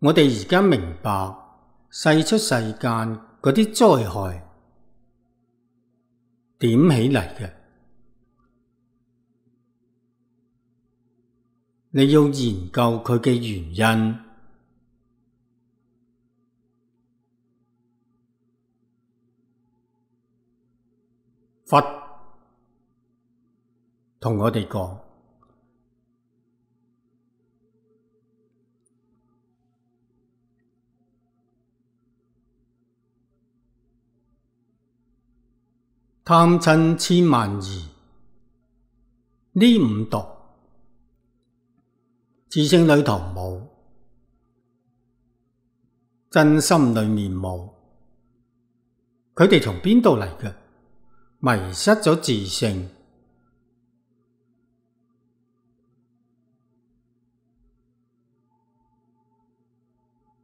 我哋而家明白世出世間嗰啲災害點起嚟嘅。你要研究佢嘅原因。佛同我哋講，貪嗔癡慢疑呢五毒，自性裏頭冇，真心裏面冇，佢哋從邊度嚟嘅？迷失咗自性，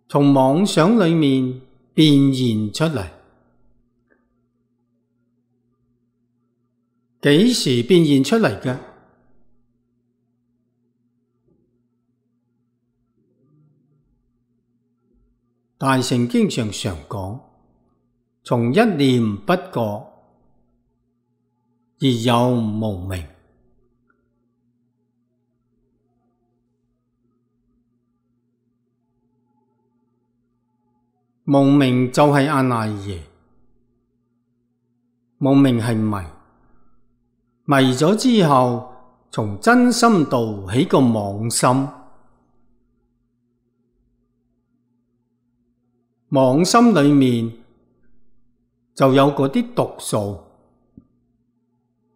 從妄想裏面變現出嚟。幾時變現出嚟嘅？大乘經上常講，從一念不覺而有無明。無明就係阿賴耶，無明係迷，迷咗之後，從真心度起個妄心，妄心裏面就有嗰啲毒素。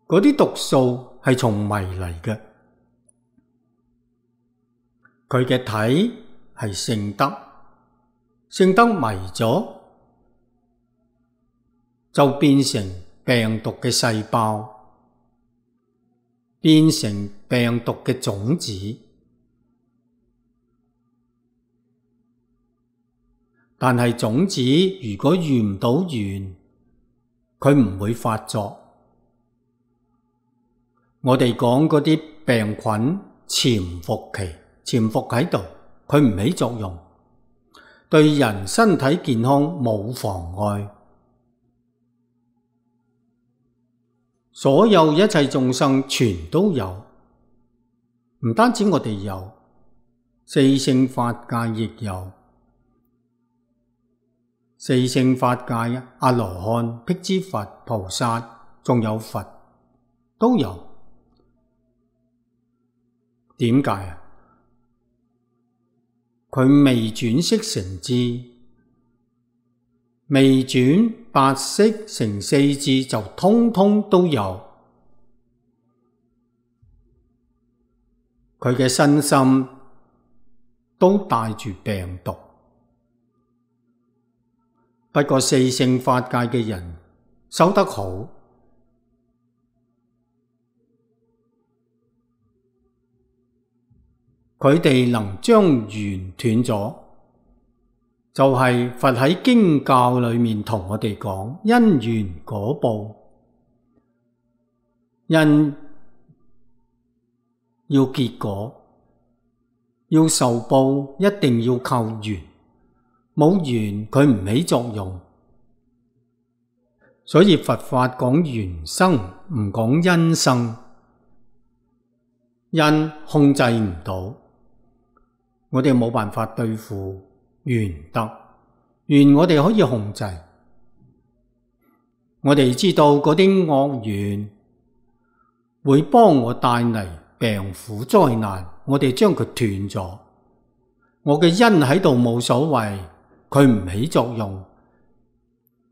嗰啲毒素係從迷嚟嘅，佢嘅體係聖德，聖德迷咗就變成病毒嘅細胞，變成病毒嘅種子。但係種子如果遇唔到緣，佢唔會發作。我哋講嗰啲病菌潛伏期，潛伏喺度，佢唔起作用，對人身體健康冇妨礙。所有一切眾生全都有，唔單止我哋有，四聖法界亦有。四聖法界，阿羅漢、辟支佛、菩薩，仲有佛，都有。點解啊？佢未轉識成智，未轉八識成四智，就通通都有。佢嘅身心都帶住病毒。不過四聖法界嘅人修得好，佢哋能將緣斷咗，就係佛喺經教裏面同我哋講因緣果報，因要結果，要受報，一定要靠緣，冇緣佢唔起作用。所以佛法講緣生，唔講因生，因控制唔到。我哋冇辦法對付緣得，緣我哋可以控制。我哋知道嗰啲惡緣會幫我帶嚟病苦災難，我哋將佢斷咗。我嘅因喺度冇所謂，佢唔起作用，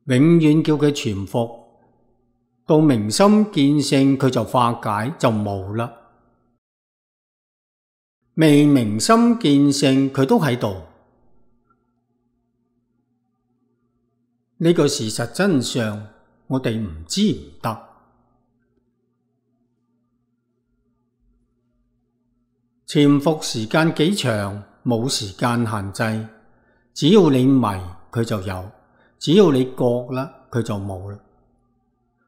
永遠叫佢潛伏，到明心見性佢就化解，就冇啦。未明心見性，佢都喺度。呢個事實真相，我哋唔知唔得。潛伏時間幾長，冇時間限制。只要你迷，佢就有；只要你覺啦，佢就冇啦。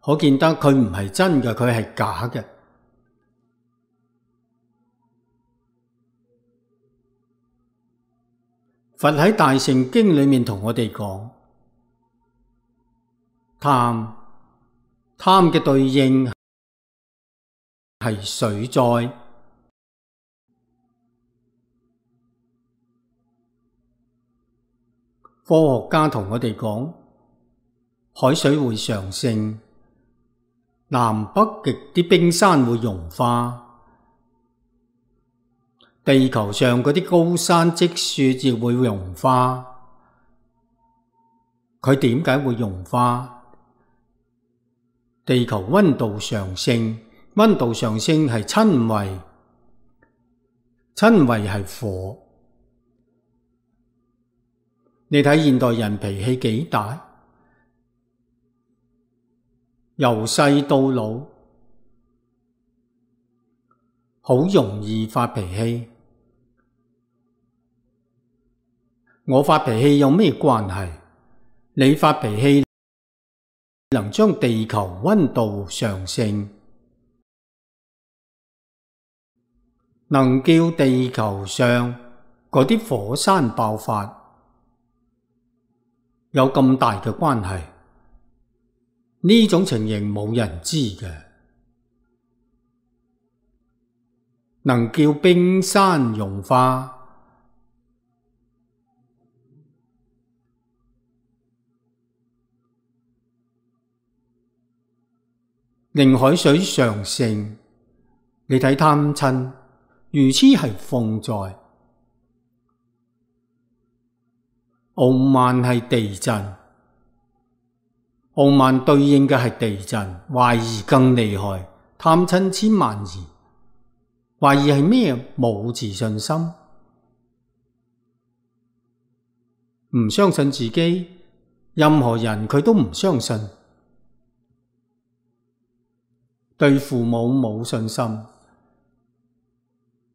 可見得佢唔係真嘅，佢係假嘅。佛喺大乘經裏面同我哋講，貪嘅對應係水災。科學家同我哋講，海水會上升，南北極啲冰山會融化，地球上嗰啲高山積雪亦會融化。佢點解會融化？地球溫度上升，溫度上升係親為，親為係火。你睇現代人脾氣幾大，由細到老，好容易發脾氣。我發脾氣有咩關係？你發脾氣能將地球溫度上升，能叫地球上嗰啲火山爆發，有咁大嘅關係？呢種情形冇人知嘅。能叫冰山融化，令海水上升。你睇貪嗔如此係風災，傲慢係地震，傲慢對應嘅係地震，懷疑更厲害，貪嗔千萬疑。懷疑係咩？冇自信心，唔相信自己，任何人佢都唔相信，對父母冇信心，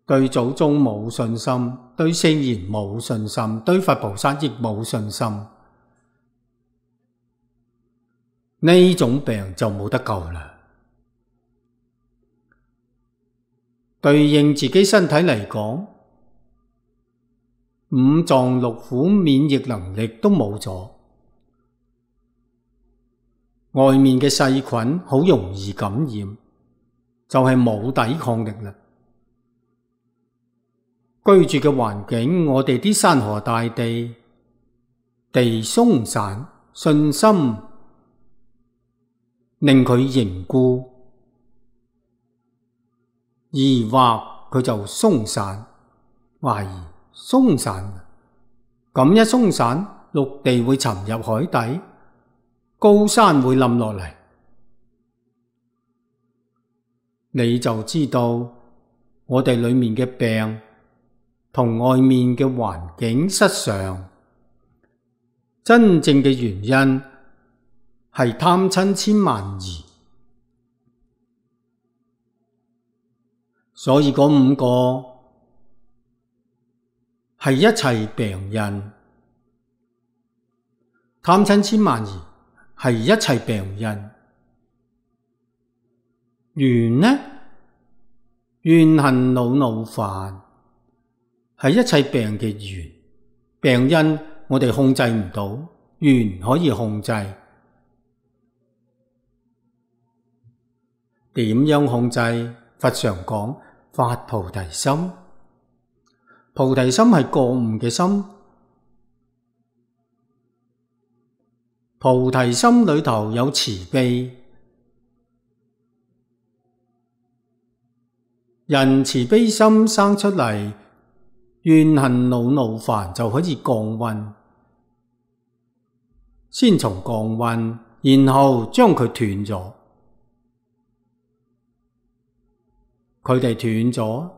對祖宗冇信心，對聖賢冇信心，對佛菩薩亦冇信心。呢種病就冇得救啦。對應自己身體嚟講，五臟六腑免疫能力都冇咗，外面嘅細菌好容易感染，就係冇抵抗力啦。居住嘅環境，我哋啲山河大地，地鬆散，信心令佢凝固，疑惑佢就鬆散，懷疑鬆散，咁一鬆散，陸地會沉入海底，高山會冧落嚟，你就知道我哋裏面嘅病同外面嘅環境失常，真正嘅原因係貪嗔千萬疑。所以嗰五個係一切病因，貪嗔千萬疑係一切病因。緣呢？怨恨惱怒煩係一切病嘅緣，病因我哋控制唔到，緣可以控制。點樣控制？佛常講發菩提心，菩提心係覺悟嘅心，菩提心裏頭有慈悲，人慈悲心生出嚟，怨恨惱怒煩就可以降溫，先從降溫，然後將佢斷咗。佢哋斷咗，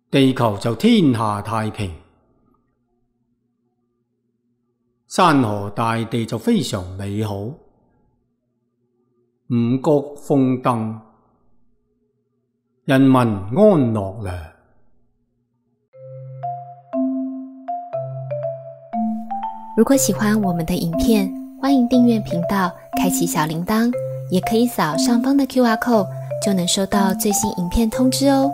地球就天下太平，山河大地就非常美好，五穀豐登，人民安樂啦。如果喜歡我們的影片，歡迎訂閱頻道，開啟小鈴鐺，也可以掃上方的QR code，就能收到最新影片通知哦。